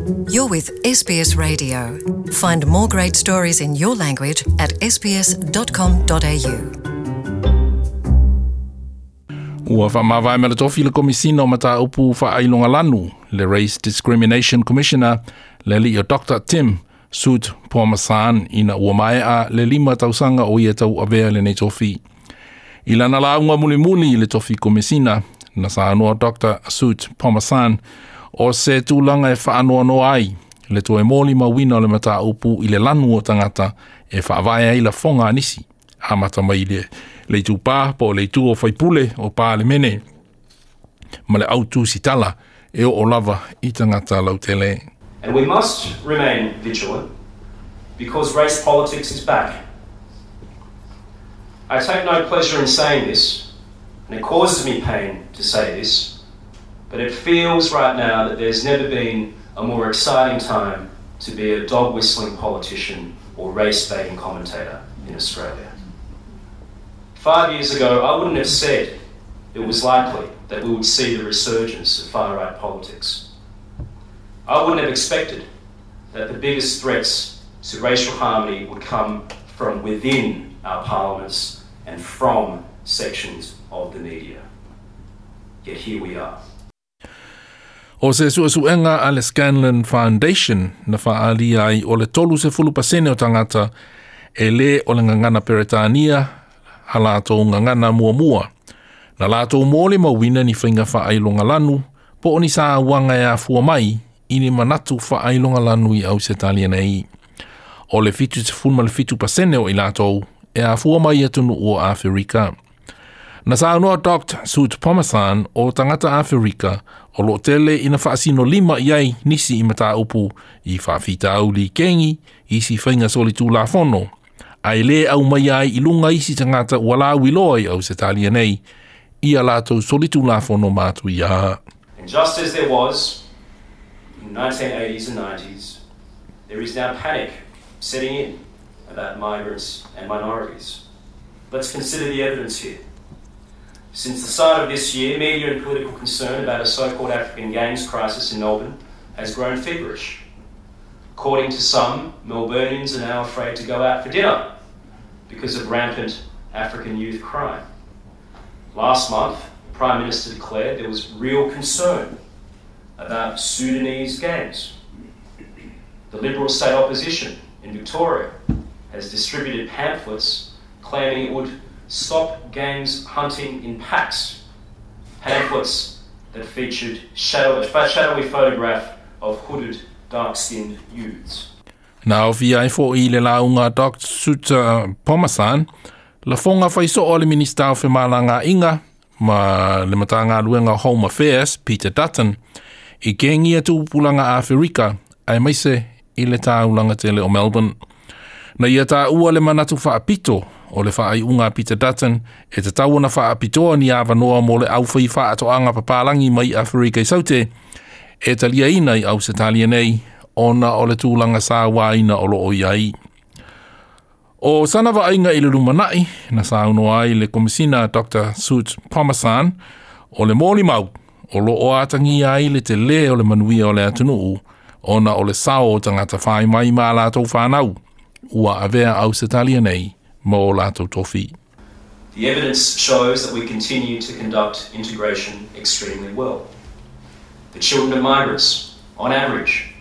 You're with SBS Radio. Find more great stories in your language at sbs.com.au. Ua whaamavae ma le tofi le Komisina o Mataupu Faailogalanu, le Race Discrimination Commissioner, le alii o Dr. Tim Soutphommasane ina ua maea le 5 tausaga o ia tauavea lenei tofi. I lana lauga mulimuli i le tofi Komisina, na saunoa Dr. Soutphommasane o se tulaga e faanoanoa ai le toe molimauina o le mataupu i le lanu o tagata e faavae ai lafoga a nisi, amata mai le le itupā po o le itu o faipule o Palemene ma le autusitala e oo lava i tagata lautele. And we must remain vigilant because race politics is back. I take no pleasure in saying this, and it causes me pain to say this, but it feels right now that there's never been a more exciting time to be a dog-whistling politician or race-baiting commentator in Australia. 5 years ago, I wouldn't have said it was likely that we would see the resurgence of far-right politics. I wouldn't have expected that the biggest threats to racial harmony would come from within our parliaments and from sections of the media. Yet here we are. O se suesuega a le Scanlon Foundation na faaalia ai o le 30% o tagata e lē o le gagana Peretania a latou gagana muamua. Na latou molimauina ni faiga faailogalanu po o ni sauaga e afua mai i ni manatu faailogalanu i Ausetalia nei. O le 77% o i latou e afua mai atunuu o Aferika. Na saunoa Dr. Soutphommasane o tagata Aferika o loo tele ina faasinolima i ai nisi i mataupu i faafitauli kengi, isi faiga solitulafono, ae lē aumaia ai i luga isi tagata ua lauiloa i Ausetalia nei, i a latou solitulafono matuia. And just as there was in the 1980s and 90s, there is now panic setting in about migrants and minorities. Let's consider the evidence here. Since the start of this year, media and political concern about a so-called African gangs crisis in Melbourne has grown feverish. According to some, Melburnians are now afraid to go out for dinner because of rampant African youth crime. Last month, the Prime Minister declared there was real concern about Sudanese gangs. The Liberal state opposition in Victoria has distributed pamphlets claiming it would stop gangs hunting in packs. Pamphlets that featured a shadowy photograph of hooded, dark-skinned youths. Na aofia ai foʻi i le lauga Dr. Soutphommasane, lafoga faisoo a le Minista o Femalagaaiga ma le Matagaluega Home Affairs, Peter Dutton, i kengi a tupulaga Aferika, aemaise i le taulaga tele o Melbourne. Na ia taua le manatu faapito o le faaiuga a Peter Dutton e tatau ona faapitoa ni avanoa mo le aufai faatoaga papalagi mai Aferika i Saute e taliaina i Ausetalia nei ona o le tulaga sauaina o loo i ai. O sana vaaiga i le lumanai na saunoa ai le Komisina Dr. Soutphommasane o le molimau o loo atagia ai le telē o le manuia o le atunuu ona o le sao o tagata fai mai ma latou fanau ua avea Ausetalia nei ma o latou tofi. The evidence shows that we continue to conduct integration extremely well. The children of migrants, on average,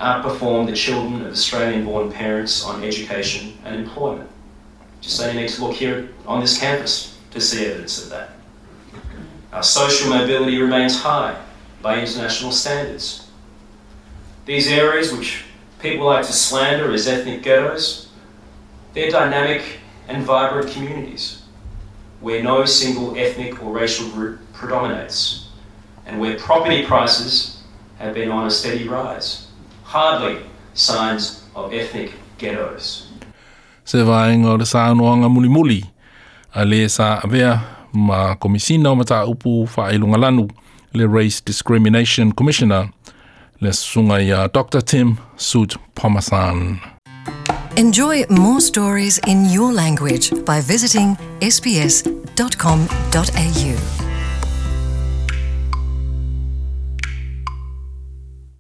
outperform the children of Australian-born parents on education and employment. Just only need to look here on this campus to see evidence of that. Our social mobility remains high by international standards. These areas, which people like to slander as ethnic ghettos, they're dynamic and vibrant communities where no single ethnic or racial group predominates and where property prices have been on a steady rise. Hardly signs of ethnic ghettos. Se vaega o le saunoaga mulimuli a le sa avea ma Komisina o Mataupu Faailogalanu, le Race Discrimination Commissioner, le susuga ia Dr. Tim Soutphommasane. Enjoy more stories in your language by visiting sbs.com.au.